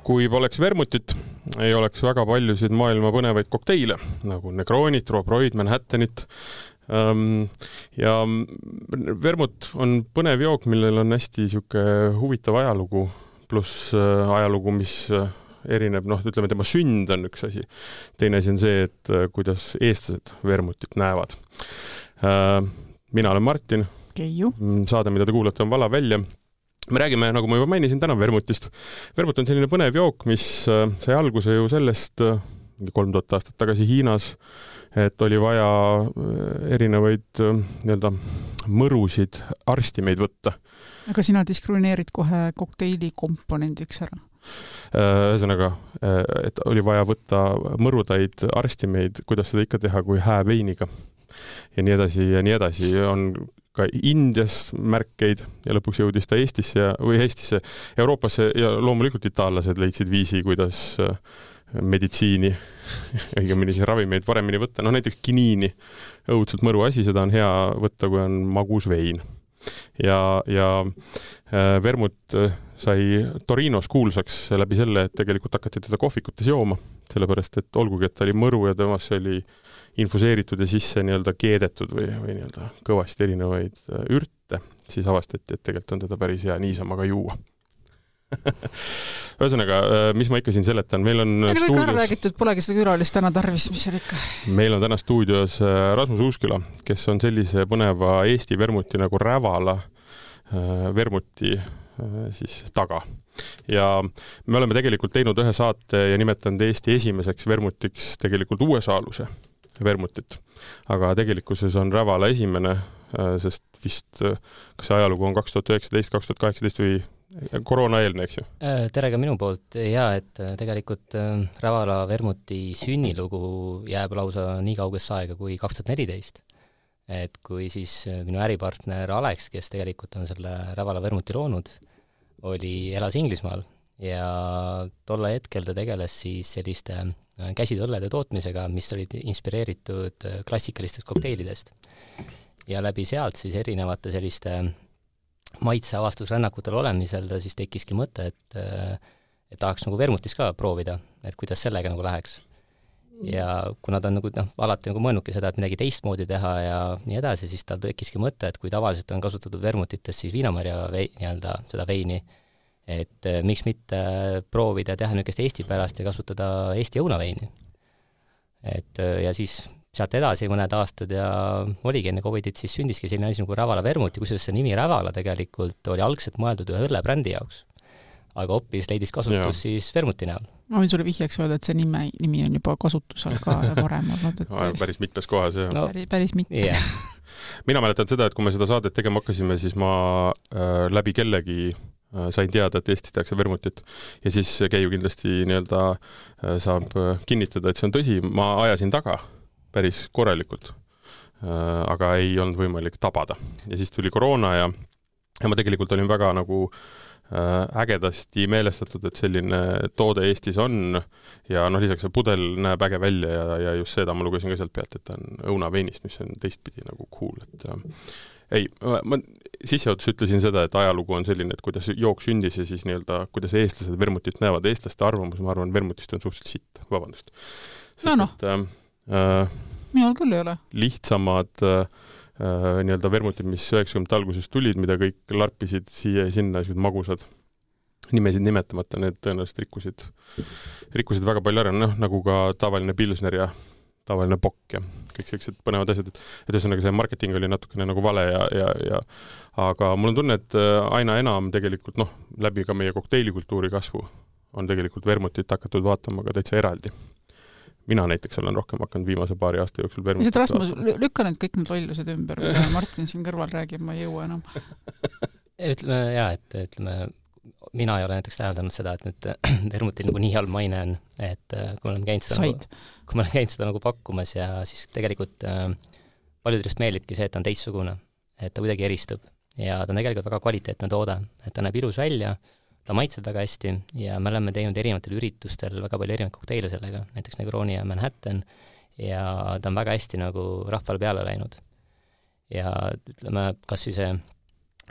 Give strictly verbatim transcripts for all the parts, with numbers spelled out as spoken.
kui poleks vermutit, ei oleks väga paljusid maailma põnevaid kokteile, nagu Negronit, Roobroid, Manhattanit. Ja vermut on põnev jook, millel on hästi siuke huvitav ajalugu, pluss ajalugu, mis erineb, noh, ütleme, tema sünd on üks asi. Teine asi on see, et kuidas eestlased vermutit näevad. Mina olen Martin. Keiu. Saade, mida te kuulate, on Vala välja. Me räägime, nagu ma juba mainisin, täna vermutist. Vermut on selline põnev jook, mis sai alguse ju sellest kolm tuhat aastat tagasi Hiinas, et oli vaja erinevaid nii-öelda mõrusid arstimeid võtta. Aga sina diskrimineerid kohe kokteili komponendiks ära? Ühesõnaga, et oli vaja võtta mõrudaid arstimeid, kuidas seda ikka teha kui hääveiniga. Ja nii edasi ja nii edasi on ka Indias märkeid ja lõpuks jõudis ta Eestisse või Eestisse, Euroopasse ja loomulikult itaallased leidsid viisi, kuidas meditsiini, õigemini siis ravimeid paremini võtta. No näiteks kiniini, õudselt mõru asi, seda on hea võtta, kui on magus vein. Ja, ja vermut sai Torinos kuulsaks läbi selle, et tegelikult hakati teda kohvikutes jooma, sellepärast, et olgugi, et ta oli mõru ja temas oli infuseeritud ja sisse nii-öelda keedetud või, või nii-öelda kõvasti erinevaid ürte, siis avastati, et tegelikult on teda päris hea niisama ka juua. Ühesõnaga, mis ma ikka siin seletan, meil on Meil stuudios... Meil räägitud, polegi seda külalist täna tarvis, mis on ikka. Meil on täna stuudios Rasmus Uusküla, kes on sellise põneva Eesti vermuti nagu Rävala vermuti siis taga. Ja me oleme tegelikult teinud ühe saate ja nimetanud Eesti esimeseks vermutiks tegelikult U S A-luse vermutit. Aga tegelikkuses on Rävala esimene, sest vist, kas see ajalugu on kaks tuhat üheksateist kaks tuhat kaheksateist või koroona eelne, eks ju? Tere ka minu poolt. Ja, et tegelikult Rävala vermuti sünnilugu jääb lausa nii kaugesse aega kui kaks tuhat neliteist. Et kui siis minu äripartner Alex, kes tegelikult on selle Rävala vermuti loonud, oli, elas Inglismaal ja tolle hetkel ta tegeles siis selliste käsitöllede tootmisega, mis olid inspireeritud klassikalistest kokteilidest. Ja läbi sealt siis erinevate selliste maitseavastusrännakutel olemisel ta siis tekkiski mõte, et, et tahaks nagu vermutis ka proovida, et kuidas sellega nagu läheks. Ja kuna ta on nagu, noh, alati nagu mõelnudki seda, et midagi teistmoodi teha ja nii edasi, siis tal tekkiski mõte, et kui tavaliselt on kasutatud vermutites siis viinamarja vei, nii-öelda seda veini, et miks mitte proovida teha niisugust Eesti pärast ja kasutada Eesti õunaveini. Et, ja siis sealt edasi mõned aastad ja oligi enne Covidit, siis sündiski selline asi nagu Rävala vermuti, kusjuures see nimi Rävala tegelikult oli algselt mõeldud ühe õllebrändi jaoks. Aga hoppis leidis kasutus ja. Siis vermuti näol. Ma võin sulle vihjaks öelda, et see nime, nimi on juba kasutusel ka varem olnud. Et... No, päris mitmes kohas. No, päris, päris mitmes. Yeah. Mina mäletan seda, et kui me seda saadet tegema hakkasime, siis ma äh, läbi kellegi äh, sain teada, et Eesti tehakse vermutit. Ja siis Keiu kindlasti nii-öelda äh, saab kinnitada, et see on tõsi. Ma ajasin taga päris korralikult, äh, aga ei olnud võimalik tabada. Ja siis tuli koroona ja, ja ma tegelikult olin väga nagu ägedasti meelestatud, et selline toode Eestis on ja noh, lisaks see pudel näeb äge välja ja, ja just seda ma lugesin ka sealt pealt, et ta on õunaveinist, mis on teistpidi nagu cool. Et, äh, ei, ma sisseotus ütlesin seda, et ajalugu on selline, et kuidas jook sündis ja siis nii-öelda, kuidas eestlased vermutit näevad. Eestlaste arvamus, ma arvan, vermutist on suhteliselt sitt, vabandust. Sest, no noh, et, äh, minul küll ei ole. Lihtsamad äh, Uh, nii-öelda vermutid, mis üheksakümnendate alguses tulid, mida kõik larpisid siia ja sinna, magusad nimesid nimetamata, need tõenäoliselt rikkusid, rikkusid väga palju ära, noh, nagu ka tavaline pilsner ja tavaline pokk ja kõik sellised põnevad asjad, et, et ühesõnaga see marketing oli natukene nagu vale ja, ja, ja aga mul on tunne, et aina enam tegelikult, noh, läbi ka meie kokteilikultuuri kasvu on tegelikult vermutit hakatud vaatama ka täitsa eraldi. Mina näiteks olen rohkem hakanud viimase paari aasta jooksul vermutit. Rasmus, lükka need kõik need lollused ümber, mida Martin siin kõrval räägib, ma ei jõua enam. Ütleme, jah, et ütleme, mina ei ole näiteks täheldanud seda, et nüüd vermutil nagu nii halb maine on, et kui ma olen käinud seda, nagu, kui ma olen käinud seda nagu pakkumas ja siis tegelikult äh, paljudest meeldibki see, et ta on teistsugune, et ta kuidagi eristub ja ta on tegelikult väga kvaliteetne toode, et ta näeb ilus välja, ta maitseb väga hästi ja me oleme teinud erinevatel üritustel väga palju erinevaid kokteile sellega, näiteks Negroni ja Manhattan ja ta on väga hästi nagu rahvale peale läinud. Ja ütleme, kas või see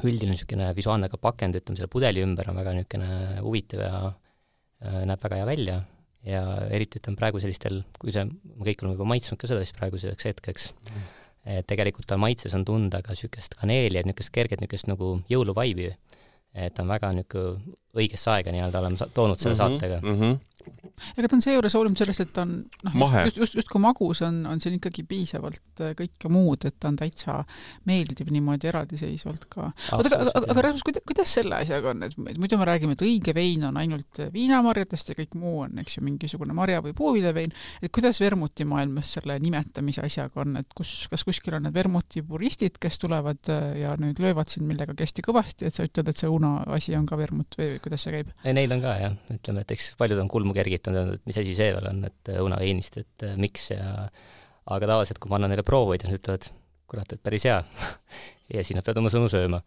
üldine niisugune visuaalne ka pakend, ütleme selle pudeli ümber on väga niisugune huvitav ja näeb väga hea välja ja eriti ütleme praegu sellistel, kui see, me kõik oleme juba maitsnud ka seda vist praeguseks hetkeks, et tegelikult tal maitses on tunda ka niisugust kaneeli, et niisugust kerget niisugust nagu jõuluvaibi, et on väga niisugune õigesse aega nii-öelda oleme toonud selle mm-hmm, saatega. Mm-hmm. Ega ta on seejuures hoolimata sellest, et ta on noh, just, just, just kui magus on, on siin ikkagi piisavalt kõike muud, et ta on täitsa meeldib niimoodi eraldiseisvalt ka. Oota, aga, aga, aga Rasmus, kuidas, kuidas selle asjaga on? Et muidu me räägime, et õige vein on ainult viinamarjadest ja kõik muu on, eks ju, mingisugune marja- või puuvilevein. Et kuidas vermuti maailmas selle nimetamise asjaga on? Et kus, kas kuskil on need vermuti puristid, kes tulevad ja nüüd löövad siin millega kesti kõvasti, et sa ütled, et see una asi on ka vermut või kuidas see käib? Neil on ka, jah. Ütleme, et eks paljud on kulmu kergitanud, et mis asi see veel on, et õunaveinist, et miks ja aga tavaliselt, kui ma annan neile proovid, siis ütlevad, kurat, et päris hea ja siis nad peavad oma sõnu sööma.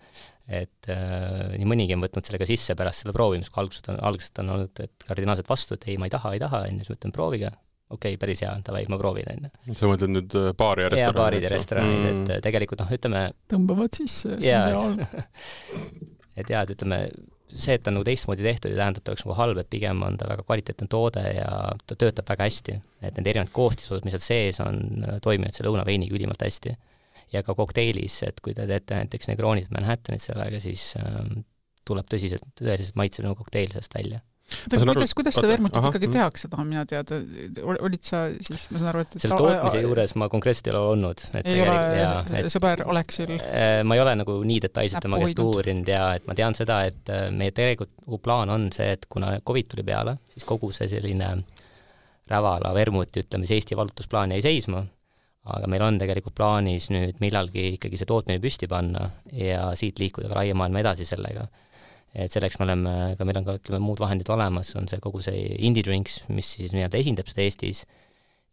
Et äh, nii mõnigi on võtnud sellega sisse pärast selle proovimist, kui algusest on, algusest on olnud, et kardinaalselt vastu, et ei, ma ei taha, ei taha, enne siis mõtlen proovige, okei, okay, päris hea, tavai, ma proovin enne. Sa mõtled nüüd baari ja restoranid? Ja baarid ja restoranid, mm. et tegelikult noh, ütleme tõmbavad sisse, see on reaalne. Et jah, et ütleme see, et ta on nagu teistmoodi tehtud ja tähendab, ta oleks nagu halb, et pigem on ta väga kvaliteetne toode ja ta töötab väga hästi. Et need erinevad koostisosad, mis seal sees on, toimivad selle õunaveiniga ülimalt hästi. Ja ka kokteilis, et kui te teete näiteks Negroonid Manhattanit sellega, siis ähm, tuleb tõsiselt, tõeliselt maitsev nagu kokteil sellest välja. Kuidas, aru, kuidas seda vermutit aha, ikkagi tehakse, tahan mina teada? Olid sa siis, ma saan aru, et... Selle tootmise juures ma konkreetselt ei ole olnud. Et ei ole ja, et, sõber Aleksil? Ma ei ole nagu nii detailselt tema käest uurinud ja et ma tean seda, et meie tegelikult plaan on see, et kuna COVID tuli peale, siis kogu see selline rävala vermut, ütleme, see Eesti valutusplaan jäi seisma, aga meil on tegelikult plaanis nüüd millalgi ikkagi see tootmine püsti panna ja siit liikuda ka laiemaailma edasi sellega. Et selleks me oleme, ka meil on ka ütleme, muud vahendid olemas, on see kogu see Indie Drinks, mis siis nii-öelda esindab seda Eestis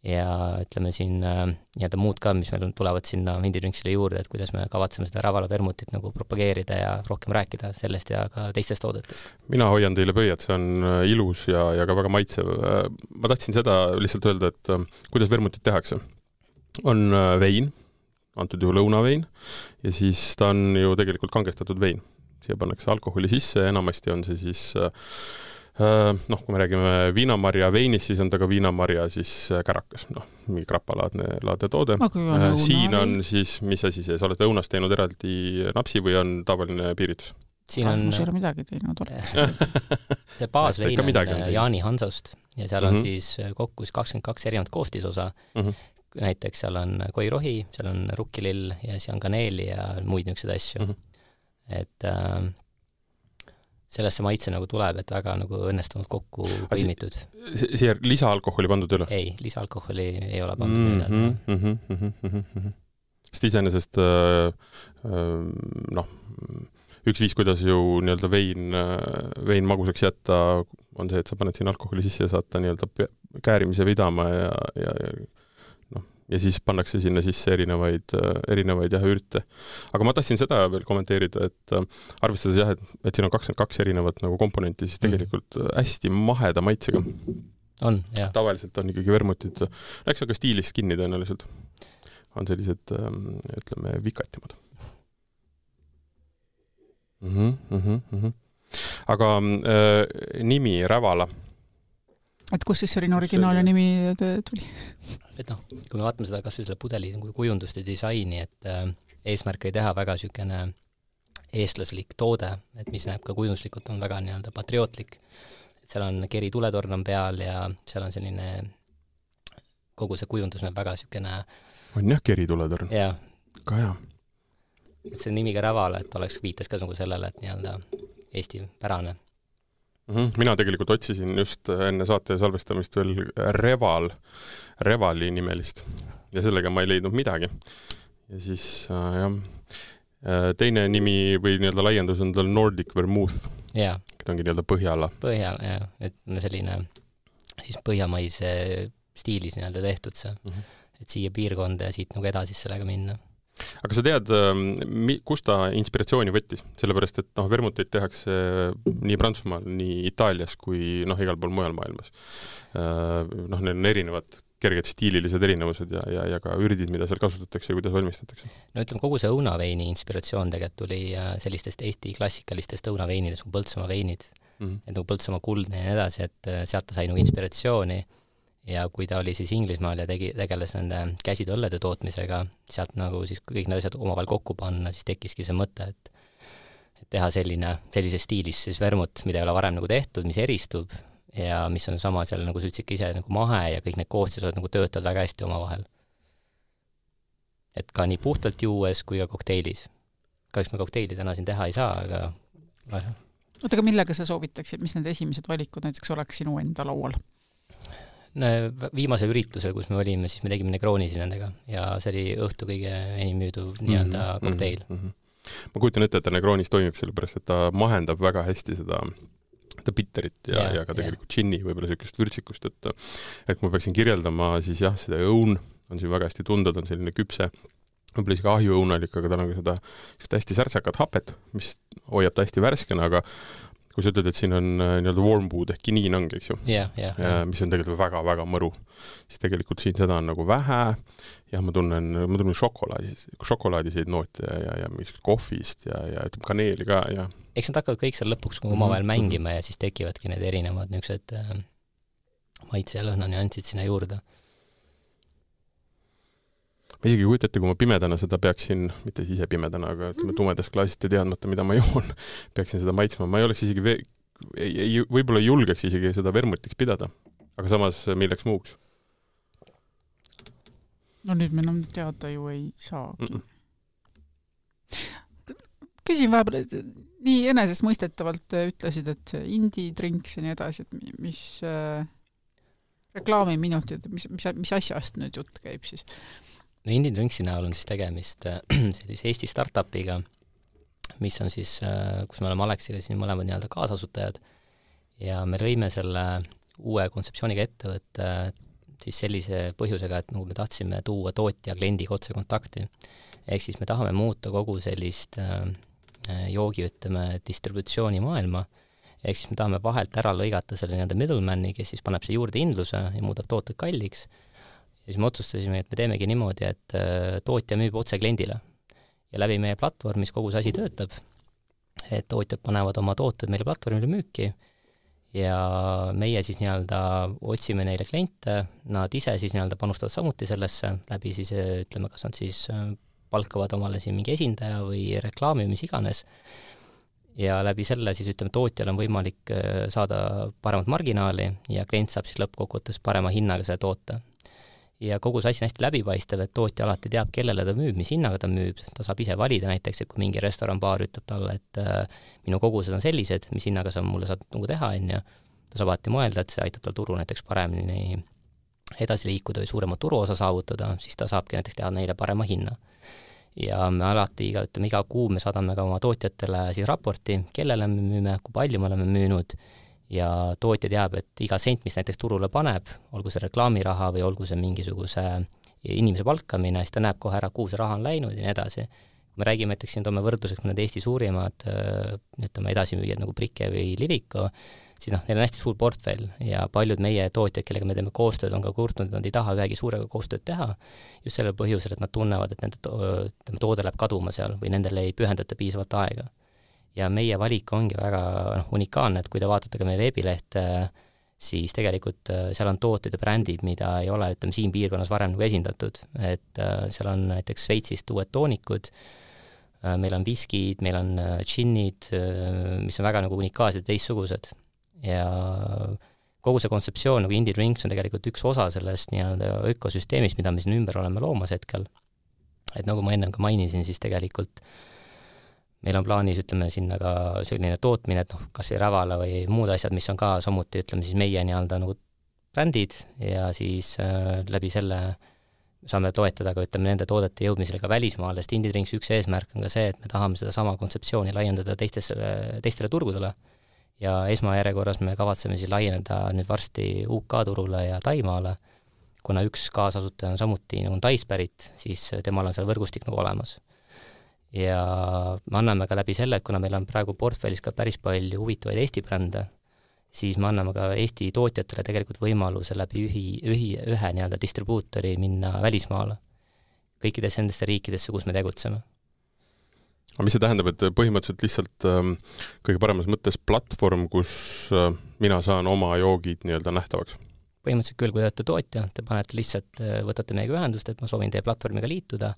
ja ütleme siin nii-öelda muud ka, mis meil tulevad sinna Indie Drinksile juurde, et kuidas me kavatseme seda Rävala vermutit nagu propageerida ja rohkem rääkida sellest ja ka teistest toodetest. Mina hoian teile pöiad, see on ilus ja, ja ka väga maitsev. Ma tahtsin seda lihtsalt öelda, et kuidas vermutit tehakse. On vein, antud juhul õunavein ja siis ta on ju tegelikult kangestatud vein. Siia pannakse alkoholi sisse, enamasti on see siis, äh, noh, kui me räägime viinamarja veinis, siis on ta ka viinamarja siis kärakas, noh, mingi krapalaadne laadne toode. Äh, siin on siis, mis asi see, sa oled õunast teinud eraldi napsi või on tavaline piiritus? Siin on... Ma ei ole midagi teinud. see baasvein on Jaani Hansost ja seal on mm-hmm. siis kokku kakskümmend kaks erinevat koostisosa. Mm-hmm. Näiteks seal on koirohi, seal on rukkilill ja siis on kaneeli ja muid niisugused asju. Mm-hmm. et äh, sellesse maitse nagu tuleb, et väga nagu õnnestunud kokku põimitud. Siia lisaalkoholi pandud üle? Ei, lisaalkoholi ei ole pandud üle. Mm -hmm, mm -hmm, mm -hmm. Sest iseenesest äh, noh, üks viis, kuidas ju nii-öelda vein, vein magusaks jätta, on see, et sa paned siin alkoholi sisse ja saad ta nii-öelda käärimise vidama ja, ja, ja ja siis pannakse sinna sisse erinevaid, erinevaid jah, ürte. Aga ma tahtsin seda veel kommenteerida, et arvestades jah, et, et siin on kakskümmend kaks erinevat nagu komponenti, siis tegelikult hästi maheda maitsega. On, jah. Tavaliselt on ikkagi vermutid, eks aga stiilist kinni tõenäoliselt. On sellised, ütleme, vikatimad. Mm-hmm, mm-hmm, mm-hmm. Aga äh, nimi Rävala. Et kus siis selline originaalne nimi tuli? Et noh, kui me vaatame seda kas või selle pudeli kujundust ja disaini, et äh, eesmärk ei teha väga niisugune eestlaslik toode, et mis näeb ka kujunduslikult on väga nii-öelda patriootlik. Et seal on keri tuletorn on peal ja seal on selline, kogu see kujundus näeb väga niisugune... On jah, keri tuletorn? Jah. Ka hea. Et see nimi ka Rävala, et oleks viitas ka nagu sellele, et nii-öelda Eesti pärane. Mina tegelikult otsisin just enne saate salvestamist veel Reval, Revali nimelist ja sellega ma ei leidnud midagi. Ja siis äh, jah, teine nimi või nii-öelda laiendus on tal Nordic Vermouth. Jaa. Ta ongi nii-öelda Põhjala. Põhjala, jah. Et selline siis põhjamaise stiilis nii-öelda tehtud see. Mm-hmm. Et siia piirkonda ja siit nagu edasi sellega minna. Aga sa tead, kus ta inspiratsiooni võttis? Sellepärast, et noh, vermuteid tehakse nii Prantsusmaal, nii Itaalias kui noh, igal pool mujal maailmas. Noh, neil on erinevad kerged stiililised erinevused ja, ja, ja ka ürdid, mida seal kasutatakse ja kuidas valmistatakse. No ütleme, kogu see õunaveini inspiratsioon tegelikult tuli sellistest Eesti klassikalistest õunaveinidest kui Põltsamaa veinid. mm-hmm. et nagu Põltsamaa kuldne ja nii edasi, et sealt ta sai nagu inspiratsiooni ja kui ta oli siis Inglismaal ja tegi, tegeles nende käsitööõllede tootmisega, sealt nagu siis kõik need asjad omavahel kokku panna, siis tekkiski see mõte, et, et teha selline, sellises stiilis siis vermut, mida ei ole varem nagu tehtud, mis eristub ja mis on sama seal, nagu sa ütlesid ise, nagu mahe ja kõik need koostised nagu töötavad väga hästi omavahel. Et ka nii puhtalt juues kui ka kokteilis. Kahjuks me kokteili täna siin teha ei saa, aga oota, aga millega sa soovitaksid, mis need esimesed valikud näiteks oleks sinu enda laual? Viimase üritusel, kus me olime, siis me tegime Negronisi nendega ja see oli õhtu kõige enim müüduv nii-öelda mm-hmm, kokteil. Mm-hmm. Ma kujutan ette, et ta Negronis toimib sellepärast, et ta mahendab väga hästi seda, seda bitterit ja, ja, ja ka tegelikult džinni võib-olla sellist vürtsikust, et et ma peaksin kirjeldama siis jah, seda õun on siin väga hästi tunda, ta on selline küpse, võib-olla isegi ahjuõunalik, aga tal on ka seda, seda hästi särtsakad hapet, mis hoiab ta hästi värskena, aga kui sa ütled, et siin on nii-öelda warm wood ehk kiniinang, eks ju, yeah, yeah, ja, yeah. mis on tegelikult väga-väga mõru, siis tegelikult siin seda on nagu vähe ja ma tunnen, ma tunnen šokolaadi, šokolaadiseid noote ja, ja, ja mingisugust kohvist ja, ja ütleme kaneeli ka. Ja. Eks nad hakkavad kõik seal lõpuks kui omavahel mm-hmm. mängima ja siis tekivadki need erinevad niisugused äh, maitse ja lõhna nüansid sinna juurde. Ma isegi kujutate, kui ma pimedana seda peaksin, mitte ise pimedana, aga ütleme tumedast klaasist ja teadmata, mida ma joon, peaksin seda maitsma. Ma ei oleks isegi, ve- ei, ei, võib-olla julgeks isegi seda vermutiks pidada, aga samas milleks muuks? No nüüd me enam teada ju ei saagi. Mm-mm. Küsin vahepeal, nii enesest mõistetavalt ütlesid, et indie drinks ja nii edasi, et mis äh, reklaamiminutid, mis, mis, mis asjast nüüd jutt käib siis? No Indie Drinksi näol on siis tegemist sellise Eesti startupiga, mis on siis, kus me oleme Aleksiga siin mõlemad nii-öelda kaasasutajad ja me lõime selle uue kontseptsiooniga ettevõtte siis sellise põhjusega, et nagu me tahtsime tuua tootja kliendiga otse kontakti. Ehk siis me tahame muuta kogu sellist joogi, ütleme, distributsiooni maailma. Ehk siis me tahame vahelt ära lõigata selle nii-öelda middlemani, kes siis paneb see juurde hindluse ja muudab tooted kalliks. Ja siis me otsustasime, et me teemegi niimoodi, et tootja müüb otse kliendile. Ja läbi meie platvormis kogu see asi töötab, et tootjad panevad oma tooted meile platvormile müüki ja meie siis nii-öelda otsime neile kliente, nad ise siis nii-öelda panustavad samuti sellesse, läbi siis ütleme, kas nad siis palkavad omale siin mingi esindaja või reklaami, mis iganes. Ja läbi selle siis ütleme, tootjal on võimalik saada paremat marginaali ja klient saab siis lõppkokkuvõttes parema hinnaga selle toote. Ja kogu see asi on hästi läbipaistev, et tootja alati teab, kellele ta müüb, mis hinnaga ta müüb, ta saab ise valida näiteks, et kui mingi restoran-baar ütleb talle, et äh, minu kogused on sellised, mis hinnaga sa mulle saad nagu teha, ja ta saab alati mõelda, et see aitab tal turu näiteks paremini edasi liikuda või suurema turuosa saavutada, siis ta saabki näiteks teha neile parema hinna. Ja me alati, iga, ütleme, iga kuu me saadame ka oma tootjatele siis raporti, kellele me müüme, kui palju me oleme müünud, ja tootja teab, et iga sent, mis näiteks turule paneb, olgu see reklaamiraha või olgu see mingisuguse inimese palkamine, siis ta näeb kohe ära, kuhu see raha on läinud ja nii edasi. Kui me räägime, näiteks siin toome võrdluseks need Eesti suurimad ütleme, edasimüüjad nagu Brike või Liviko, siis noh, neil on hästi suur portfell ja paljud meie tootjad, kellega me teeme koostööd, on ka kurtnud, et nad ei taha ühegi suurega koostööd teha, just sellel põhjusel, et nad tunnevad, et nende to- toode läheb kaduma seal või nendele ei pühendata piisavalt aega. Ja meie valik ongi väga noh, unikaalne, et kui te vaatate ka meie veebilehte, siis tegelikult seal on tooted ja brändid, mida ei ole, ütleme, siin piirkonnas varem nagu esindatud. Et seal on näiteks Sveitsist uued toonikud, meil on viskid, meil on džinnid, mis on väga nagu unikaalsed ja teistsugused. Ja kogu see kontseptsioon nagu Indie Drinks on tegelikult üks osa sellest nii-öelda ökosüsteemist, mida me siin ümber oleme loomas hetkel. Et nagu ma enne ka mainisin, siis tegelikult meil on plaanis, ütleme, sinna ka selline tootmine, et noh, kas või Rävala või muud asjad, mis on ka samuti, ütleme siis meie nii-öelda nagu brändid ja siis äh, läbi selle saame toetada ka, ütleme, nende toodete jõudmisele ka välismaale, sest Indie Drinks üks eesmärk on ka see, et me tahame seda sama kontseptsiooni laiendada teistele, teistele turgudele ja esmajärjekorras me kavatseme siis laieneda nüüd varsti U K turule ja Taimaale, kuna üks kaasasutaja on samuti nagu Taispärit, siis temal on seal võrgustik nagu olemas. Ja me anname ka läbi selle, et kuna meil on praegu portfellis ka päris palju huvitavaid Eesti brände, siis me anname ka Eesti tootjatele tegelikult võimaluse läbi ühi, ühi, ühe nii-öelda distribuutori minna välismaale kõikides nendesse riikidesse, kus me tegutseme. aga mis see tähendab, et põhimõtteliselt lihtsalt ähm, kõige paremas mõttes platvorm, kus äh, mina saan oma joogid nii-öelda nähtavaks? Põhimõtteliselt küll, kui te olete tootja, te panete lihtsalt, võtate meiega ühendust, et ma soovin teie platvormiga liituda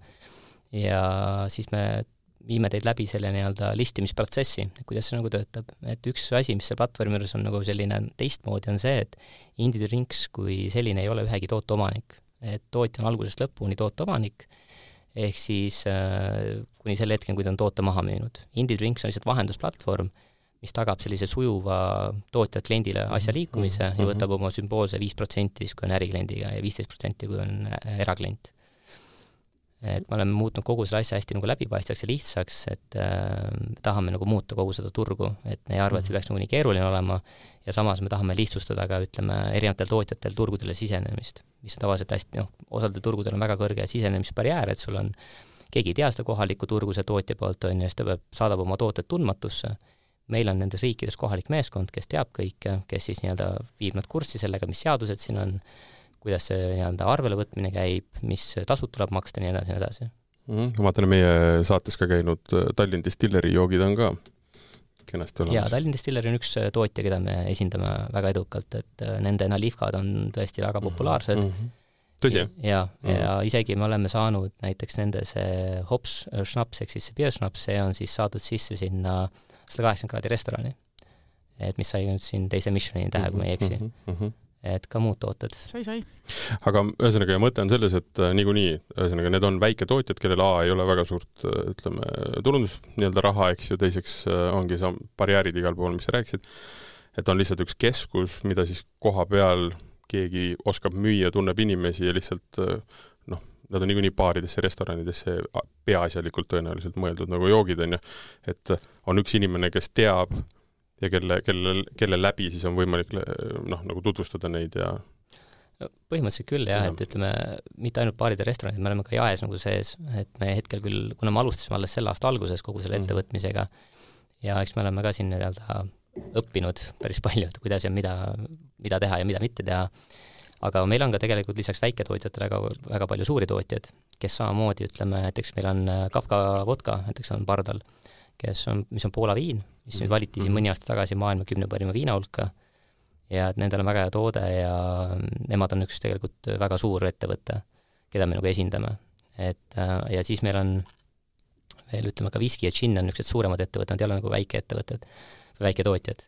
ja siis me viime teid läbi selle nii-öelda listimisprotsessi, kuidas see nagu töötab. Et üks asi, mis see platvormi juures on nagu selline teistmoodi, on see, et Indie Drinks kui selline ei ole ühegi tooteomanik. Et tootja on algusest lõpuni tooteomanik, ehk siis äh, kuni selle hetkel, kui ta on toote maha müünud. Indie Drinks on lihtsalt vahendusplatvorm, mis tagab sellise sujuva tootjad kliendile asja liikumise mm-hmm. ja võtab oma sümboolse viis protsenti, kui on ärikliendiga ja viisteist protsenti, kui on eraklient. Et me oleme muutnud kogu selle asja hästi nagu läbipaistvaks ja lihtsaks, et äh, tahame nagu muuta kogu seda turgu, et me ei arva, et see peaks nagu nii keeruline olema ja samas me tahame lihtsustada ka, ütleme, erinevatel tootjatel turgudele sisenemist, mis on tavaliselt hästi, noh, osadel turgudel on väga kõrge sisenemisbarjäär, et sul on, keegi ei tea seda kohalikku turgu, see tootja poolt on ja siis ta peab, saadab oma tooted tundmatusse. Meil on nendes riikides kohalik meeskond, kes teab kõike, kes siis nii-öelda viib nad kurssi sellega, mis seadused siin on, kuidas see nii-öelda arvele võtmine käib, mis tasud tuleb maksta, nii edasi, nii edasi. Mm, ma vaatan, meie saates ka käinud Tallinn Distilleri joogid on ka kenasti olemas. Ja Tallinn Distilleri on üks tootja, keda me esindame väga edukalt, et nende nalivkad on tõesti väga populaarsed. Mm-hmm. Tõsi? Ja, mm-hmm. ja isegi me oleme saanud näiteks nende see hops schnaps, ehk siis see beer schnaps, see on siis saadud sisse sinna sada kaheksakümmend kraadi restorani, et mis sai nüüd siin teise Michelini tähe, kui ma ei eksi. Mm-hmm. Et ka muud tooted. Sai, sai. Aga ühesõnaga mõte on selles, et niikuinii, ühesõnaga need on väike tootjad, kellel A ei ole väga suurt, ütleme, turundus nii-öelda raha, eks ju, teiseks ongi see barjäärid igal pool, mis sa rääkisid, et on lihtsalt üks keskus, mida siis koha peal keegi oskab müüa, tunneb inimesi ja lihtsalt noh, nad on niikuinii baaridesse, restoranidesse peaasjalikult tõenäoliselt mõeldud nagu joogid on ju, et on üks inimene, kes teab ja kelle, kelle, kelle läbi siis on võimalik noh, nagu tutvustada neid ja põhimõtteliselt küll jah, et ütleme, mitte ainult baarid ja restoranid, me oleme ka jaes nagu sees, et me hetkel küll, kuna me alustasime alles selle aasta alguses kogu selle ettevõtmisega ja eks me oleme ka siin nii-öelda õppinud päris palju, et kuidas ja mida, mida teha ja mida mitte teha, aga meil on ka tegelikult lisaks väiketootjatele väga, väga palju suuri tootjad, kes samamoodi, ütleme, näiteks meil on Kafka vodka, näiteks on Pardal, kes on, mis on Poola viin, mis nüüd valiti siin mõni aasta tagasi maailma kümne parima viina hulka ja et nendel on väga hea toode ja nemad on üks tegelikult väga suur ettevõte, keda me nagu esindame. Et, ja siis meil on veel, ütleme, ka viski ja gin on niisugused suuremad ettevõtted, nad ei ole nagu väike ettevõtted, väike tootjad.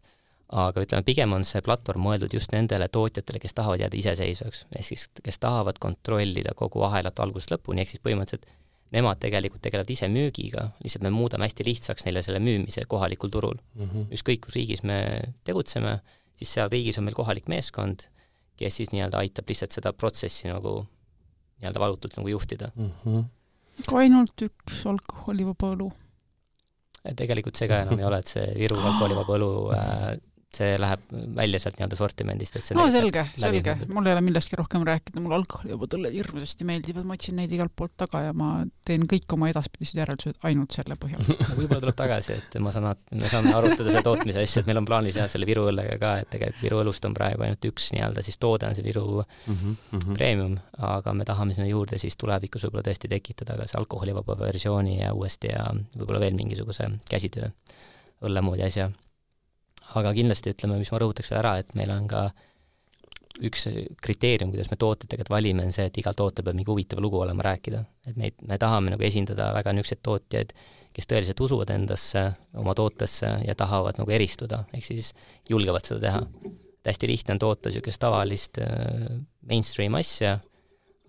Aga ütleme, pigem on see platvorm mõeldud just nendele tootjatele, kes tahavad jääda iseseisvaks, ehk siis kes tahavad kontrollida kogu ahelat algusest lõpuni, ehk siis põhimõtteliselt nemad tegelikult tegelevad ise müügiga, lihtsalt me muudame hästi lihtsaks neile selle müümise kohalikul turul. Mm-hmm. Ükskõik, kus riigis me tegutseme, siis seal riigis on meil kohalik meeskond, kes siis nii-öelda aitab lihtsalt seda protsessi nagu nii-öelda valutult nagu juhtida. Mm-hmm. Ka ainult üks alkoholivaba õlu? Tegelikult see ka enam ei ole, et see Viru alkoholivaba õlu äh, see läheb välja sealt nii-öelda sortimendist. Et see no selge, selge. Mul ei ole millestki rohkem rääkida, mul alkoholi juba tõlle hirmsasti meeldivad, ma otsin neid igalt poolt taga ja ma teen kõik oma edaspidised järeldused ainult selle põhjal. No, võib-olla tuleb tagasi, et ma saan, me saame arutada selle tootmise asja, et meil on plaanis jah selle Viru õllega ka, et tegelikult Viru õlust on praegu ainult üks nii-öelda siis toode on see Viru mm-hmm, mm-hmm. premium, aga me tahame sinna juurde siis tulevikus võib-olla tõesti tekitada ka see alkoholivaba versiooni ja uuesti ja võib-olla veel mingisuguse käsitöö õlle moodi asja. Aga kindlasti ütleme, mis ma rõhutaks veel ära, et meil on ka üks kriteerium, kuidas me tooted tegelikult valime, on see, et igal toote peab mingi huvitava lugu olema rääkida. Et me, me tahame nagu esindada väga niisugused tootjaid, kes tõeliselt usuvad endasse, oma tootesse ja tahavad nagu eristuda, ehk siis julgevad seda teha. Et hästi lihtne on toota niisugust tavalist mainstream asja,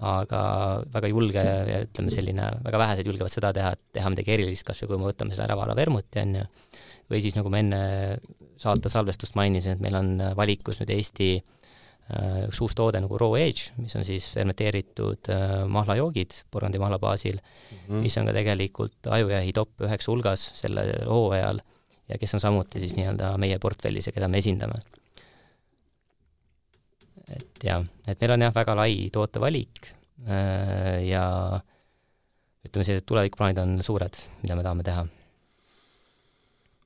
aga väga julge ja ütleme selline, väga vähesed julgevad seda teha, et teha midagi erilist, kas või kui me võtame selle Äravala vermuti, on ju. Või siis nagu me enne saate salvestust mainisin, et meil on valikus nüüd Eesti üks uus toode nagu Raw Age, mis on siis fermenteeritud mahlajoogid porgandi mahla baasil, mm-hmm. mis on ka tegelikult Ajujahi top üheksa hulgas selle hooajal ja kes on samuti siis nii-öelda meie portfellis ja keda me esindame. Et jah, et meil on jah väga lai tootevalik ja ütleme, sellised tulevikuplaanid on suured, mida me tahame teha.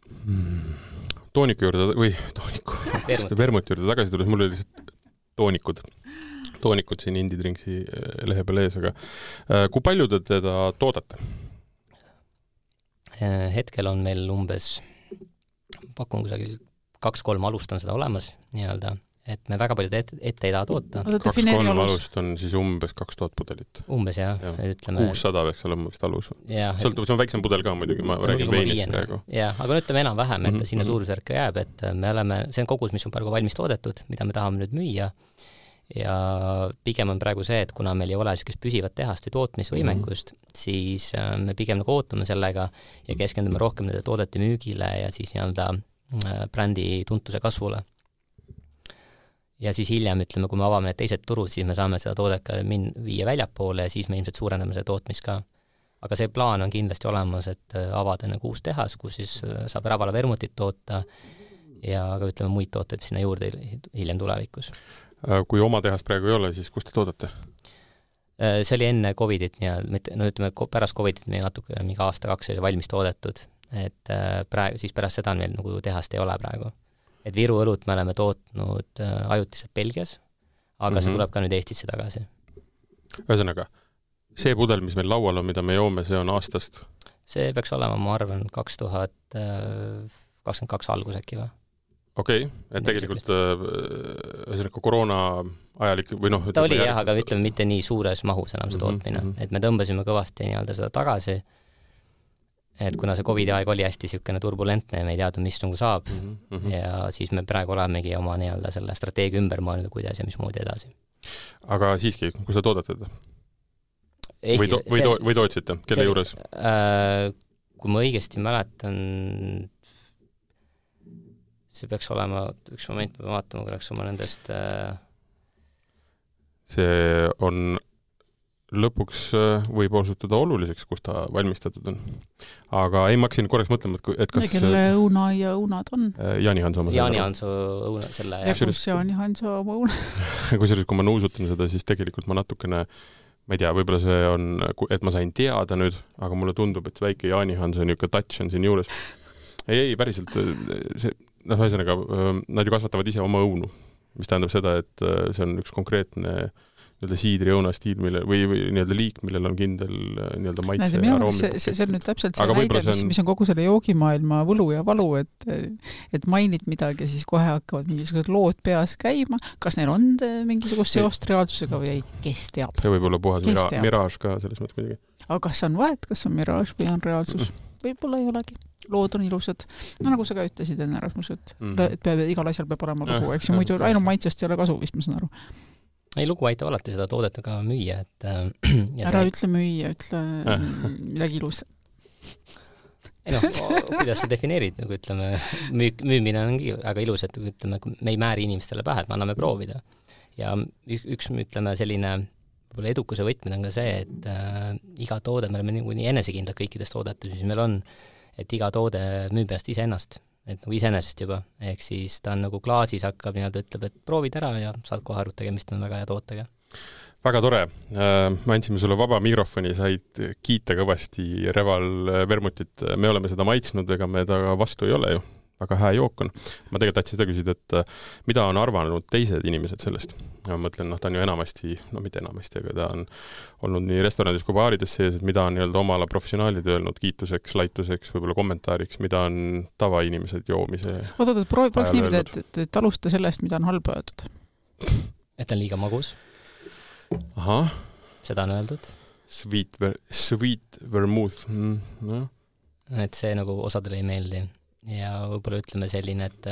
Hmm. Tooniku juurde või tooniku vermuti juurde tagasi tulles, mul oli lihtsalt toonikud toonikud siin Indie Drinksi lehe peal ees, aga kui palju te teda toodate? hetkel on meil umbes, pakun kusagil kaks-kolm alust on seda olemas nii-öelda, et me väga palju ette, ette ei taha toota. kaks-kolm alust on siis umbes kaks tuhat pudelit. Umbes jah, ja. ütleme. kuussada peaks olema vist alus. Sõltub, see on väiksem pudel ka muidugi, ma räägin veinist praegu. Jah, aga ütleme enam-vähem, et mm-hmm. sinna suurusjärk jääb, et me oleme, see on kogus, mis on praegu valmis toodetud, mida me tahame nüüd müüa. Ja pigem on praegu see, et kuna meil ei ole niisugust püsivat tehast või tootmisvõimekust, mm-hmm. siis me pigem nagu ootame sellega ja keskendume rohkem nende toodete müügile ja siis nii-öelda brändi tuntuse kasvule. Ja siis hiljem, ütleme, kui me avame need teised turud, siis me saame seda toodet ka min- viia väljapoole ja siis me ilmselt suurendame seda tootmist ka. Aga see plaan on kindlasti olemas, et avada nagu uus tehas, kus siis saab Rävala vermutit toota ja ka ütleme muid tooteid sinna juurde hiljem tulevikus. Kui oma tehast praegu ei ole, siis kus te toodate? See oli enne Covidit, no ütleme, pärast Covidit meil natuke mingi aasta-kaks oli valmis toodetud, et praegu, siis pärast seda meil nagu tehast ei ole praegu. Et Viru õlut me oleme tootnud ajutiselt Belgias, aga mm-hmm. see tuleb ka nüüd Eestisse tagasi. Ühesõnaga, see pudel, mis meil laual on, mida me joome, see on aastast? See peaks olema, ma arvan, kaks tuhat kakskümmend kaks algus äkki või? Okei, okay. Et tegelikult ühesõnaga koroona ajalik või noh... Ta oli jah, aga ütleme mitte nii suures mahus enam see tootmine, mm-hmm. et me tõmbasime kõvasti nii-öelda seda tagasi, et kuna see Covidi aeg oli hästi niisugune turbulentne ja me ei teadnud, mis nagu saab mm-hmm. ja siis me praegu olemegi oma nii-öelda selle strateegia ümber mõelnud, kuidas ja mismoodi edasi. Aga siiski, kus te toodate? Eesti, või, to, või, to, või tootsite? Kelle see, juures? Äh, kui ma õigesti mäletan, see peaks olema, üks moment peab vaatama, korraks oma nendest... Äh... See on... lõpuks võib osutuda oluliseks, kus ta valmistatud on. Aga ei, ma hakkasin korraks mõtlema, et kas... Kelle õuna ja õunad on? Jaani Hanso oma Jaani Hanso õuna selle... Ja kus Jaani Hanso oma õuna? Kusjuures, kui ma nuusutan seda, siis tegelikult ma natukene, ma ei tea, võib-olla see on, et ma sain teada nüüd, aga mulle tundub, et väike Jaani Hanso niisugune touch on siin juures. Ei, ei, päriselt, see, noh, ühesõnaga, nad ju kasvatavad ise oma õunu, mis tähendab seda, et see on üks konkreetne nii-öelda siidri õuna stiil, mille, või, või nii-öelda liik, millel on kindel nii-öelda maitse Näide, ja aroomi. See, see on nüüd täpselt see näide, mis, on... mis on kogu selle joogimaailma võlu ja valu, et, et mainid midagi ja siis kohe hakkavad mingisugused lood peas käima. Kas neil on mingisugust seost reaalsusega või ei? Kes teab? See võib olla puhas mira- miraaž ka selles mõttes midagi. Aga kas on vahet, kas on miraaž või on reaalsus? Mm. Võib-olla ei olegi. Lood on ilusad. No nagu sa ka ütlesid enne Rasmus, et, mm. et peab, igal asjal peab olema lugu, eks ju, muidu ainult maitsest ei ole kasu, vist ma saan aru. Ei, lugu aitab alati seda toodet ka müüa, et ja ära see... ütle müüa, ütle midagi ilus. Ei noh, kuidas sa defineerid, nagu ütleme, müük, müümine ongi väga ilus, et ütleme, me ei määri inimestele pähe, et me anname proovida. Ja üks, ütleme, selline võib-olla edukuse võtmine on ka see, et äh, iga toode, me oleme nii enesekindlad kõikidest toodetes, mis meil on, et iga toode müüb ennast ise ennast. Et nagu iseenesest juba, ehk siis ta on nagu klaasis hakkab nii-öelda ütleb, et proovid ära ja saad kohe aru, tegemist on väga hea tootega. Väga tore. Me andsime sulle vaba mikrofoni, said kiita kõvasti Reval vermutit. Me oleme seda maitsnud, ega me ta vastu ei ole ju. Väga hää jook on. Ma tegelikult tahtsin seda küsida, et mida on arvanud teised inimesed sellest? Ma mõtlen, noh, ta on ju enamasti, no mitte enamasti, aga ta on olnud nii restoranides kui baarides sees, et mida on nii-öelda omala professionaalid öelnud kiituseks, laituseks, võib-olla kommentaariks, mida on tavainimesed joomise Oot, oot, proovi, prooviks niimoodi, et, et, et alusta sellest, mida on halba öeldud. Et on liiga magus. Aha. Seda on öeldud. Sweet, ver, sweet vermouth. Mm, no. Et see nagu osadele ei meeldi. Ja võib-olla ütleme selline, et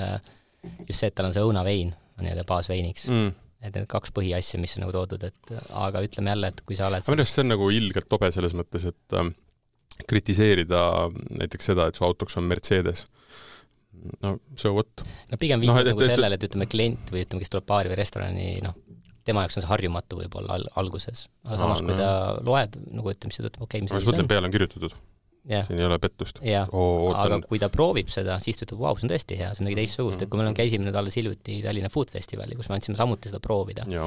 just see, et tal on see õunavein, on nii-öelda baasveiniks. Mm. Et need kaks põhiasja, mis on nagu toodud, et aga ütleme jälle, et kui sa oled... Aga see on nagu ilgelt tobe selles mõttes, et äh, kritiseerida näiteks seda, et su autoks on Mercedes. No, so what? No pigem viitab no, et, nagu et, sellele, et ütleme klient või ütleme, kes tuleb baari või restorani, noh, tema jaoks on see harjumatu võib-olla al- alguses. Aga samas, Aa, kui no. ta loeb, nagu ütleme, siis ta ütleb, okei, okay, mis see mõtlen, peale on kirjutatud. Ja. Siin ei ole pettust. Oh, aga kui ta proovib seda, siis ta ütleb, vau, see on tõesti hea, see on midagi teistsugust, et kui meil on käisime nüüd alles hiljuti Tallinna Food Festivali, kus me andsime samuti seda proovida, ja.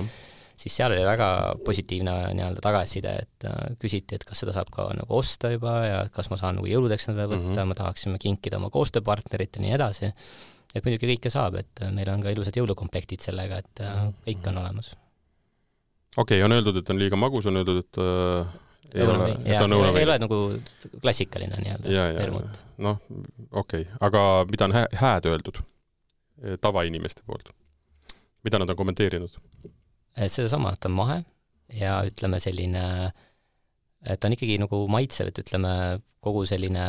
Siis seal oli väga positiivne nii-öelda tagasiside, et uh, küsiti, et kas seda saab ka nagu osta juba ja kas ma saan nagu jõuludeks seda võtta, mm-hmm. ma tahaksime kinkida oma koostööpartnerit ja nii edasi. Et muidugi kõike saab, et meil on ka ilusad jõulukomplektid sellega, et uh, kõik on olemas. Okei, okay, on öeldud, et on liiga magus, on öeldud, et uh... ei õunavein. ole, et on õunavein. Ei ole nagu klassikaline nii-öelda vermut. Noh, okei. Okay. Aga mida on hää, hääd öeldud tavainimeste poolt? Mida nad on kommenteerinud? Et seda sama, et on mahe ja ütleme selline, et on ikkagi nagu maitsev, et ütleme kogu selline,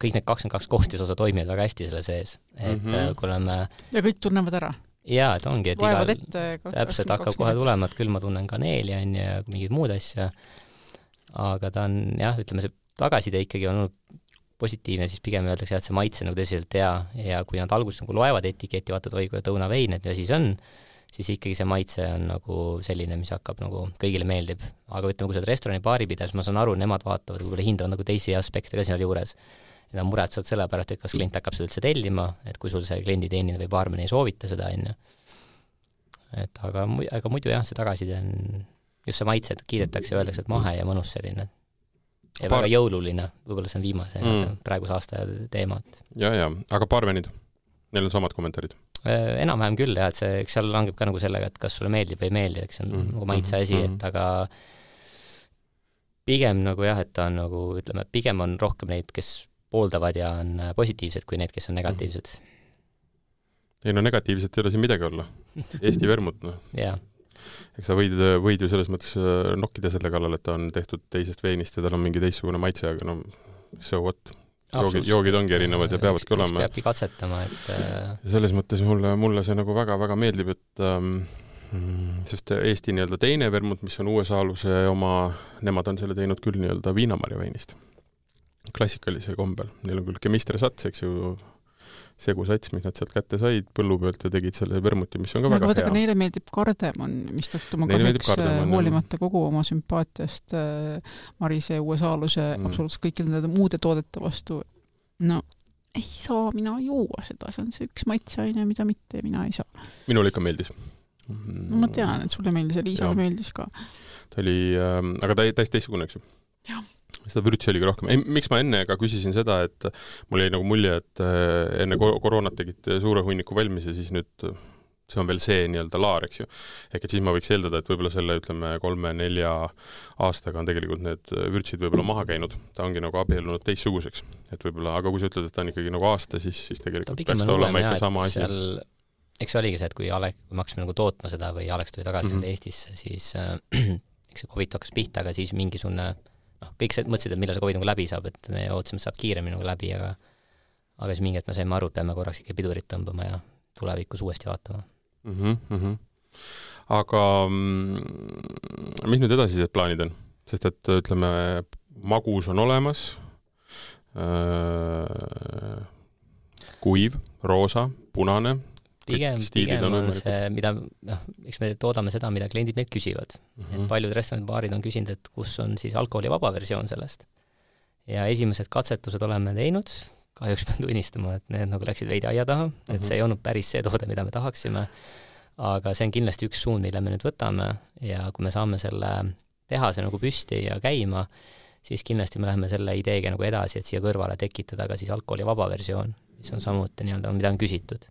kõik need kakskümmend kaks kohtisosa toimivad väga hästi selle sees. Et mm -hmm. kui oleme... Ja kõik tunnevad ära? Jaa, et ongi, et igal... ette, täpselt hakkab kohe tulema, et küll ma tunnen kaneeli on ja mingid muud asja. Aga ta on, jah, ütleme, see tagaside ikkagi on olnud positiivne, siis pigem öeldakse, et see maitse nagu tõsiselt hea ja kui nad alguses nagu loevad etiketi, vaatad, oi, kui õunavein, et mida siis on, siis ikkagi see maitse on nagu selline, mis hakkab nagu kõigile meeldib. Aga ütleme, kui sa oled restorani baari pidas, ma saan aru, nemad vaatavad, kui hindavad nagu teisi aspekte ka sinna juures. Ja nad muretsavad selle pärast, et kas klient hakkab seda üldse tellima, et kui sul see kliendi teenida või baarmen ei soovita seda, enne. Et aga, aga muidu jah, see tagaside on just see maitse, et kiidetakse ja öeldakse, et mahe ja mõnus selline. Ja Paar... väga jõululine, võib-olla see on viimase mm. praeguse aasta teema. Ja, ja, aga baarmenid, neil on samad kommentaarid? Enam-vähem küll, jah, et see, eks seal langeb ka nagu sellega, et kas sulle meeldib või ei meeldi, eks see on mm. nagu maitse asi, mm. et aga pigem nagu jah, et ta on nagu, ütleme, pigem on rohkem neid, kes pooldavad ja on positiivsed kui need, kes on negatiivsed. Ei no negatiivselt ei ole siin midagi olla. Eesti vermut, noh. Jaa. Eks sa võid, võid ju selles mõttes nokkida selle kallal, et ta on tehtud teisest veinist ja tal on mingi teistsugune maitse, aga no so what. Joogid, joogid ongi erinevad ja peavadki olema. Peabki katsetama, et... Selles mõttes mulle, mulle see nagu väga-väga meeldib, et ähm, sest Eesti nii-öelda teine vermut, mis on U S A-luse oma, nemad on selle teinud küll nii-öelda viinamarja veinist. Klassikalise kombel. Neil on küll kemistre sats, eks ju, segusats, mis nad sealt kätte said põllu pealt ja tegid selle vermuti, mis on ka ja, väga vaata, hea. Aga neile meeldib kardemon, mis tõttu ma kahjuks hoolimata kogu oma sümpaatiast äh, Marise U S A-luse mm. absoluutselt kõikide nende muude toodete vastu. No, ei saa mina juua seda, see on see üks maitseaine, mida mitte ja mina ei saa. Minule ikka meeldis. No ma tean, et sulle meeldis ja Liisale meeldis ka. Ta oli, äh, aga ta täiesti teistsugune, eks ju? Jah. Seda vürtsi oligi rohkem. Ei, miks ma enne ka küsisin seda, et mul jäi nagu mulje, et enne koroonat tegid suure hunniku valmis ja siis nüüd see on veel see nii-öelda laar, eks ju. Ehk et siis ma võiks eeldada, et võib-olla selle, ütleme, kolme-nelja aastaga on tegelikult need vürtsid võib-olla maha käinud. Ta ongi nagu abiellunud teistsuguseks. Et võib-olla, aga kui sa ütled, et ta on ikkagi nagu aasta, siis, siis tegelikult peaks ta olema ikka sama asi. Seal, eks oligi see, et kui Alek, kui me hakkasime nagu tootma seda või Aleks tuli tagasi mm-hmm. Eestisse, siis äh, eks see COVID hakkas pihta, aga siis mingisugune noh, kõik see mõtlesid, et millal see COVID nagu läbi saab, et me ootasime, et saab kiiremini nagu läbi, aga aga siis mingi, et me saime aru, et peame korraks ikka pidurit tõmbama ja tulevikus uuesti vaatama. Mm-hmm, mm-hmm. Aga mm, mis nüüd edasised plaanid on? Sest et ütleme, magus on olemas, äh, kuiv, roosa, punane, Pigem, pigem on, on see, mida, noh, eks me toodame seda, mida kliendid meilt küsivad. Mm-hmm. Et paljud restoranibaarid on küsinud, et kus on siis alkoholivaba versioon sellest. Ja esimesed katsetused oleme teinud, kahjuks pean tunnistama, et need nagu läksid veidi aia taha, mm-hmm. et see ei olnud päris see toode, mida me tahaksime, aga see on kindlasti üks suund, mille me nüüd võtame ja kui me saame selle tehase nagu püsti ja käima, siis kindlasti me läheme selle ideega nagu edasi, et siia kõrvale tekitada ka siis alkoholivaba versioon, mis on samuti nii-öelda, mida on küsitud.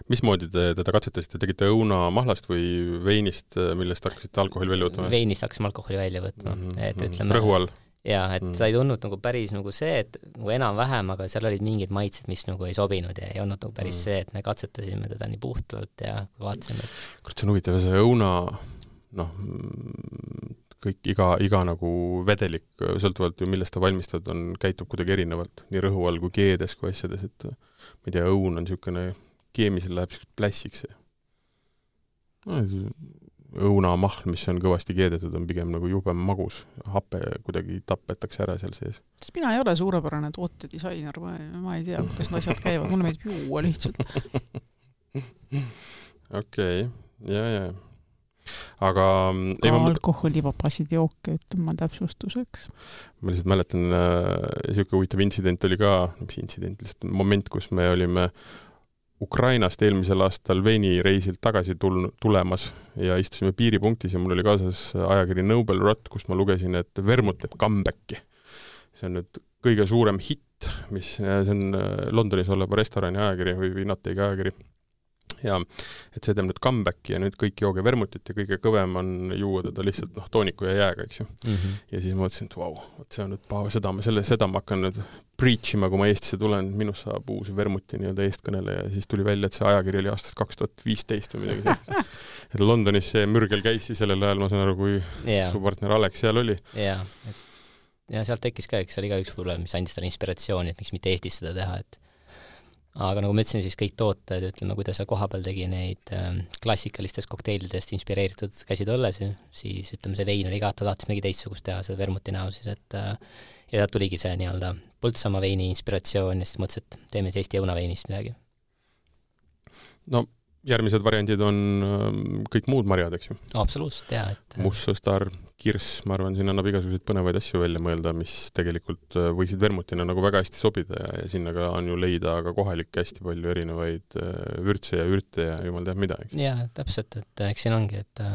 Mismoodi te teda katsetasite? Tegite õuna mahlast või veinist, millest hakkasite alkoholi välja võtma? Veinist hakkasime alkoholi välja võtma. Mm-hmm. Et ütleme, rõhu all? Jaa, et mm. ta ei tulnud nagu päris nagu see, et nagu enam-vähem, aga seal olid mingid maitsed, mis nagu ei sobinud ja ei olnud nagu päris mm. see, et me katsetasime teda nii puhtalt ja vaatasime. Et... Kurat, see on huvitav, see õuna, noh, kõik, iga, iga nagu vedelik, sõltuvalt ju millest ta valmistad, on, käitub kuidagi erinevalt, nii rõhu all kui keedes kui asjades, et ma ei tea, õun on niisugune keemisel läheb plässiks. No, õunamahl, mis on kõvasti keedetud, on pigem nagu jubem magus. Happe kuidagi tapetakse ära seal sees. Sest mina ei ole suurepärane tootedisainer, ma, ma ei tea, kuidas need asjad käivad. Mulle meeldib juua lihtsalt. Okei, okay. ja, ja. Aga... Ka ei, alkoholivabasid jooke, ütlen ma täpsustuseks. Ma lihtsalt mäletan, niisugune huvitav intsident oli ka, mis intsident, lihtsalt moment, kus me olime Ukrainast eelmisel aastal veinireisilt tagasi tul- tulemas ja istusime piiripunktis ja mul oli kaasas ajakiri Noble Rot, kus ma lugesin, et vermut teeb comebacki. See on nüüd kõige suurem hitt, mis see on Londonis oleva restorani ajakiri või Vinategi ajakiri. ja et see teeb nüüd comebacki ja nüüd kõik jooge vermutit ja kõige kõvem on juua teda lihtsalt noh, tooniku ja jääga, eks ju. Mm -hmm. Ja siis ma mõtlesin, et vau, wow, see on nüüd paha, seda, selle, seda ma hakkan nüüd preachima, kui ma Eestisse tulen, minust saab uus vermuti nii-öelda eestkõneleja ja siis tuli välja, et see ajakiri oli aastast kaks tuhat viisteist või midagi sellist. Et Londonis see mürgel käis siis sellel ajal, ma saan aru, kui yeah. su partner Alex seal oli. Jaa, et ja sealt tekkis ka, eks see oli ka üks võib-olla, mis andis talle inspiratsiooni, et miks mitte Eestis seda teha, et aga nagu ma ütlesin, siis kõik tooted, ütleme, kuidas sa koha peal tegi neid äh, klassikalistest kokteilidest inspireeritud käsitõllesi, siis ütleme, see vein oli ka, ta tahtis midagi teistsugust teha, seda vermuti näo siis, et äh, ja sealt tuligi see nii-öelda Põltsamaa veini inspiratsioon ja siis mõtlesin, et teeme siis Eesti õunaveinist midagi. No järgmised variandid on kõik muud marjad, eks ju? Absoluutselt, jah. Et... Mustsõstar, kirss, ma arvan, siin annab igasuguseid põnevaid asju välja mõelda, mis tegelikult võiksid vermutina nagu väga hästi sobida ja, ja sinna ka on ju leida ka kohalikke hästi palju erinevaid vürtse ja ürte ja jumal teab mida, eks? Jaa, täpselt, et eks siin ongi, et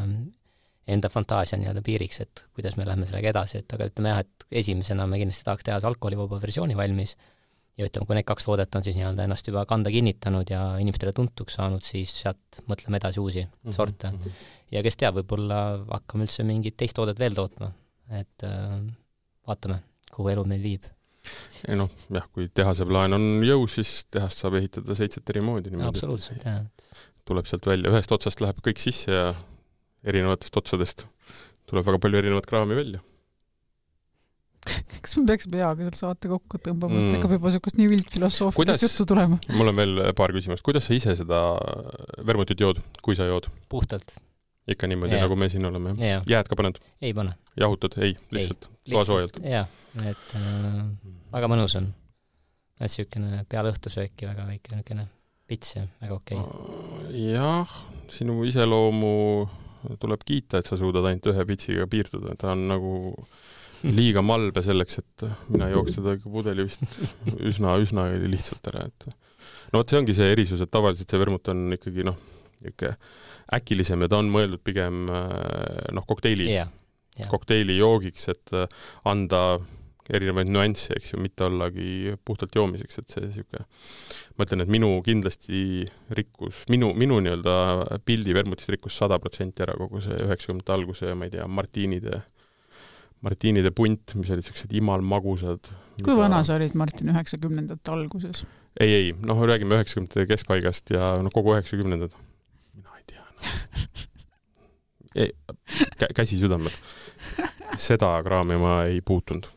enda fantaasia on nii-öelda piiriks, et kuidas me lähme sellega edasi, et aga ütleme jah, et esimesena me kindlasti tahaks teha alkoholivaba versiooni valmis ja ütleme, kui need kaks toodet on siis nii-öelda ennast juba kanda kinnitanud ja inimestele tuntuks saanud, siis sealt mõtleme edasi uusi mm-hmm. sorte. Ja kes teab, võib-olla hakkame üldse mingit teist toodet veel tootma, et äh, vaatame, kuhu elu meil viib. Ja noh, jah, kui tehase plaan on jõu, siis tehast saab ehitada seitset eri moodi. Absoluutselt, jah. Tuleb sealt välja, ühest otsast läheb kõik sisse ja erinevatest otsadest tuleb väga palju erinevat kraami välja. Kas me peaksime peaga seal saate kokku tõmbama, mm. et hakkab juba niisugust nii üldfilosoofilist juttu tulema? Mul on veel paar küsimust. Kuidas sa ise seda vermutit jood, kui sa jood? Puhtalt. Ikka niimoodi, yeah. nagu me siin oleme. Yeah. Jääd ka paned? Ei pane. Jahutad? Ei, lihtsalt. Toa soojalt? Jah, et äh, väga mõnus on. Et siukene peale õhtusööki väga väike niisugune pits ja väga okei. Okay. Jah, sinu iseloomu tuleb kiita, et sa suudad ainult ühe pitsiga piirduda. Ta on nagu liiga malbe selleks, et mina jooks teda pudeli vist üsna, üsna lihtsalt ära. Et no see ongi see erisus, et tavaliselt see vermut on ikkagi noh, äkilisem ja ta on mõeldud pigem noh, kokteili, yeah, yeah. kokteili joogiks, et anda erinevaid nüansse, eks ju, mitte ollagi puhtalt joomiseks, et see siuke, ma ütlen, et minu kindlasti rikkus, minu, minu nii-öelda pildi vermutist rikkus sada protsenti ära kogu see üheksakümnendate alguse ja ma ei tea, Martinide Martinide punt, mis olid sellised imal magusad. Kui mida... vana sa olid, Martin, üheksakümnendate alguses? Ei, ei, noh, räägime üheksakümnendate keskpaigast ja no, kogu üheksakümnendad. Mina ei tea. No. Ei, kä- käsi südamel. Seda kraami ma ei puutunud.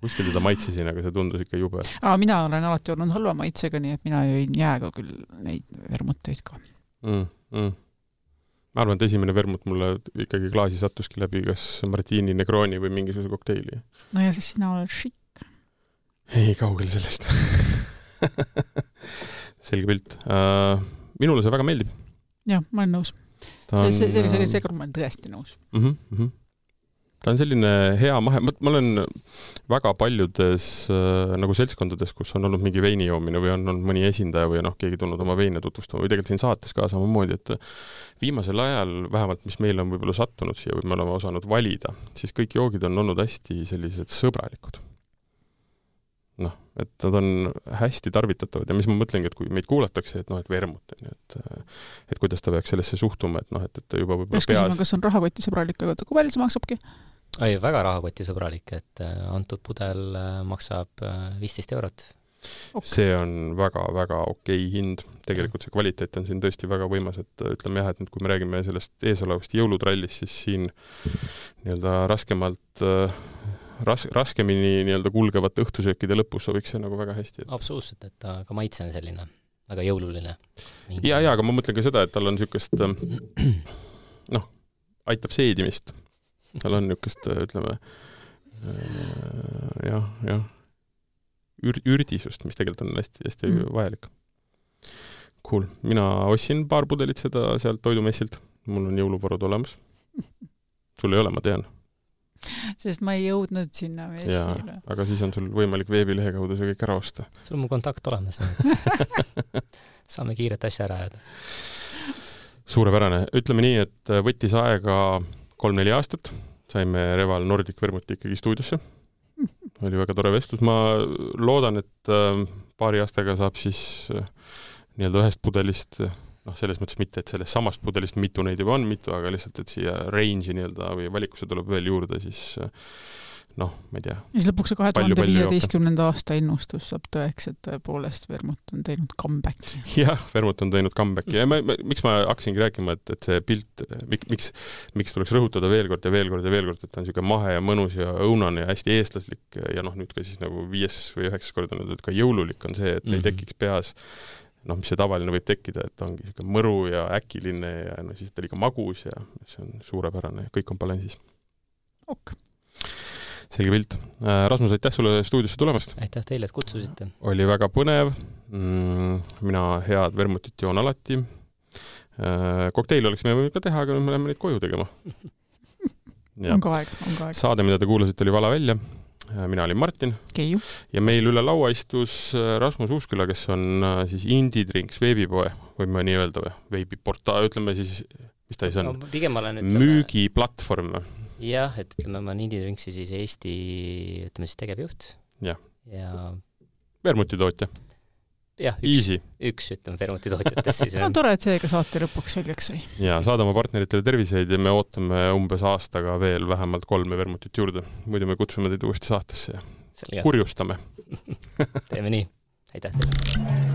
Kuskil teda maitsesin, aga see tundus ikka jube. Aa, mina olen alati olnud halva maitsega, nii et mina jõin jääga küll neid vermuteid ka. Mm, mm. Ma arvan, et esimene vermut mulle ikkagi klaasi sattuski läbi kas Martini Negroni või mingisuguse kokteili. No ja siis sina oled šikk. Ei, kaugel sellest. Selge pilt. Uh, minule see väga meeldib. Jah, ma olen nõus. On, see, see, see, see kord ma olen tõesti nõus. Uh-huh, uh-huh. Ta on selline hea mahe, ma olen väga paljudes äh, nagu seltskondades, kus on olnud mingi veini joomine või on olnud mõni esindaja või noh, keegi tulnud oma veine tutvustama või tegelikult siin saates ka samamoodi, et viimasel ajal, vähemalt mis meil on võib-olla sattunud siia või me oleme osanud valida, siis kõik joogid on olnud hästi sellised sõbralikud. Noh, et nad on hästi tarvitatavad ja mis ma mõtlengi, et kui meid kuulatakse, et noh, et vermut, et, et kuidas ta peaks sellesse suhtuma, et noh, et, et ta juba võib-olla peas... Küsima, kas on rahakoti sõbralik, aga kui palju see maksabki? Ei, väga rahakoti sõbralik, et antud pudel maksab viisteist eurot. Okay. See on väga-väga okei hind. Tegelikult see kvaliteet on siin tõesti väga võimas, et ütleme jah, et nüüd kui me räägime sellest eesolevast jõulutrallist, siis siin nii-öelda raskemalt ras, raskemini nii-öelda kulgevate õhtusöökide lõpus sobiks see nagu väga hästi. Et... Absoluutselt, et ta ka maitse on selline väga jõululine. Mingi... Ja, ja, aga ma mõtlen ka seda, et tal on niisugust noh, aitab seedimist. Tal on niisugust, ütleme, jah, jah, ür, ürdisust, mis tegelikult on hästi, hästi mm. vajalik. Cool. Mina ostsin paar pudelit seda sealt toidumessilt. Mul on jõuluvarud olemas. Sul ei ole, ma tean. Sest ma ei jõudnud sinna messile. Aga siis on sul võimalik veebilehe kaudu see kõik ära osta. Sul on mu kontakt olemas. Saame kiiret asja ära jääda. Suurepärane. Ütleme nii, et võttis aega kolm-neli aastat, saime Reval Nordic Vermuti ikkagi stuudiosse. Oli väga tore vestlus. Ma loodan, et paari aastaga saab siis nii-öelda ühest pudelist noh, selles mõttes mitte, et sellest samast pudelist mitu neid juba on mitu, aga lihtsalt, et siia range'i nii-öelda või valikusse tuleb veel juurde, siis noh, ma ei tea. Ja siis lõpuks see kahe tuhande viieteistkümnenda aasta ennustus saab tõeks, et tõepoolest Vermut on teinud comebacki. Jah, Vermut on teinud comebacki ja ma, ma, miks ma hakkasingi rääkima, et, et see pilt, mik, miks, miks tuleks rõhutada veel kord ja veel kord ja veel kord, et ta on niisugune mahe ja mõnus ja õunane ja hästi eestlaslik ja noh, nüüd ka siis nagu viies või üheksas kord on, et ka jõululik on see, et mm-hmm. ei tekiks peas noh, mis see tavaline võib tekkida, et ongi niisugune mõru ja äkiline ja no siis ta oli ka magus ja see on suurepärane, kõik on balansis. Ok. Selge pilt. Rasmus, aitäh sulle stuudiosse tulemast. Aitäh teile, et kutsusite. Oli väga põnev. Mina head vermutit joon alati. Kokteili oleksime võinud ka teha, aga me läheme neid koju tegema. Ja. On ka aeg, on ka aeg. Saade, mida te kuulasite, oli Vala välja. Mina olin Martin. Keiu. Ja meil üle laua istus Rasmus Uusküla, kes on siis Indie Drinks veebipoe, võime nii öelda või? Veebiportaal, ütleme siis, mis ta siis on? No, pigem olen, ütleme... Müügiplatvorm. Jah, et ütleme, ma olen Indie Drinksi siis Eesti, ütleme siis tegevjuht. Ja. Ja... Vermutitootja. Jah, üks, üks ütleme vermutitootjates siis on. No tore, et seega saate lõpuks selgeks sai. Ja saadame partneritele terviseid ja me ootame umbes aastaga veel vähemalt kolme vermutit juurde. Muidu me kutsume teid uuesti saatesse ja Selge. Kurjustame. Teeme nii. Aitäh teile.